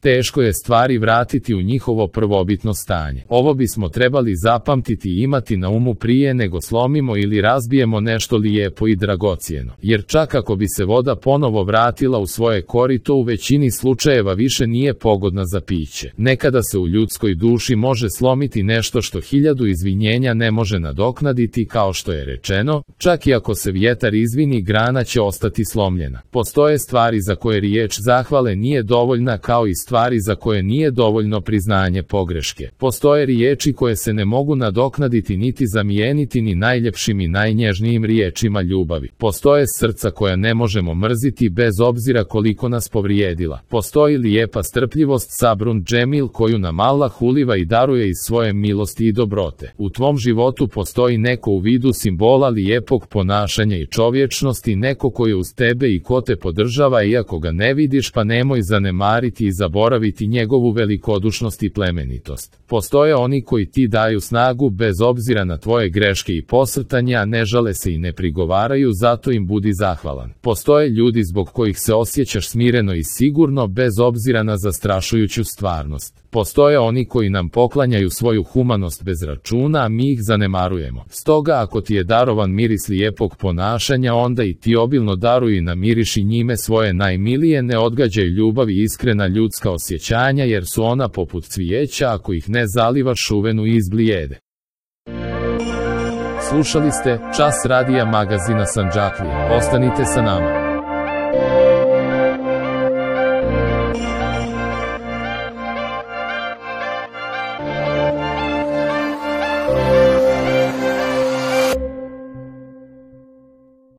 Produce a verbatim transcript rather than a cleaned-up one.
Teško je stvari vratiti u njihovo prvobitno stanje. Ovo bismo trebali zapamtiti i imati na umu prije nego slomimo ili razbijemo nešto lijepo i dragocjeno. Jer čak ako bi se voda ponovo vratila u svoje korito, u većini slučajeva više nije pogodna za piće. Nekada se u ljudskoj duši može slomiti nešto što hiljadu izvinjenja ne može nadoknaditi, kao što je rečeno, čak i ako se vjetar izvini, grana će ostati slomljena. Postoje stvari za koje riječ zahvale nije dovoljna, kao i stvari za koje nije dovoljno priznanje pogreške. Postoje riječi koje se ne mogu nadoknaditi niti zamijeniti ni najljepšim i najnježnijim riječima ljubavi. Postoje srca koja ne možemo mrziti bez obzira koliko nas povrijedila. Postoji lijepa strpljivost, sabrun džemil, koju nam Allah uliva i daruje iz svoje milosti i dobrote. U tvom životu postoji neko u vidu simbola lijepog ponašanja i čovječnosti, neko koji je uz tebe i ko te podržava, iako ga ne vidiš, pa nemoj zanemariti i zaboraviti njegovu velikodušnost i plemenitost. Postoje oni koji ti daju snagu bez obzira na tvoje greške i posrtanja, ne žale se i ne prigovaraju, zato im budi zahvalan. Postoje ljudi zbog kojih se osjećaš smireno i sigurno bez obzira na zastrašujuću stvarnost. Postoje oni koji nam poklanjaju svoju humanost bez računa, a mi ih zanemarujemo. Stoga ako ti je darovan miris lijepog ponašanja, onda i ti obilno daruj i namiriši njime svoje najmilije, ne odgađaj ljubav i iskrena ljudska osjećanja, jer su ona poput cvijeća, ako ih ne zalivaš, šuvenu i izblijede. Slušali ste Čas radija magazina Sandžaklija. Ostanite sa nama.